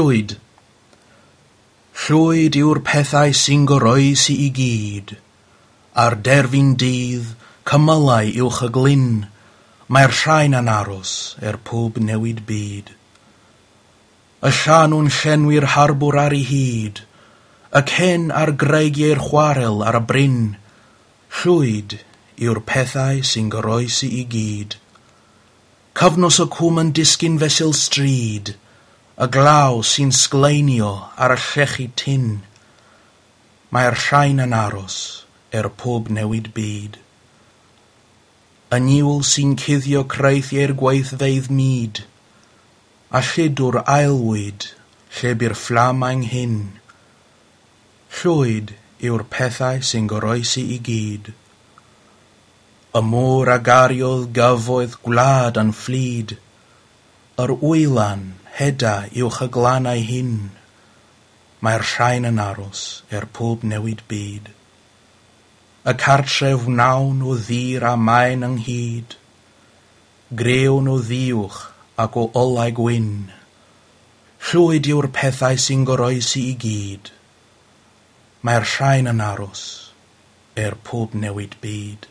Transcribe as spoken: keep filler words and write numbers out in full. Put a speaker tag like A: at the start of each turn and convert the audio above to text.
A: Llwyd. Llwyd yw'r pethau sy'n goroesi i gyd. Ar derfyn dydd, cymylau uwch y glyn, mae'r rhain yn aros er pob newid byd. Y llanw'n llenwi'r harbwr ar ei hyd, y cen ar greigiau'r chwarel ar y bryn, llwyd yw'r pethau sy'n goroesi i gyd. Cyfnos y cwm yn disgyn fesul stryd, y glaw sy'n sgleinio ar y llechi tyn. Mae'r rhain yn aros er pob newid byd. Y niwl sy'n cuddio creithiau'r gweithfeydd mud, a lludw'r aelwyd lle bu'r fflam anghyn. Llwyd yw'r pethau sy'n goroesi i gyd. Y môr a gariodd gyfoeth gwlad yn fflyd, yr wylan heda uwch y glannau hyn. Mae'r rhain yn aros er pob newid byd. Y cartref wnawn o ddur a maen ynghyd, grewn o ddiwch ac o olau gwyn. Llwyd yw'r pethau sy'n goroesi i gyd. Mae'r rhain yn aros er pob newid byd.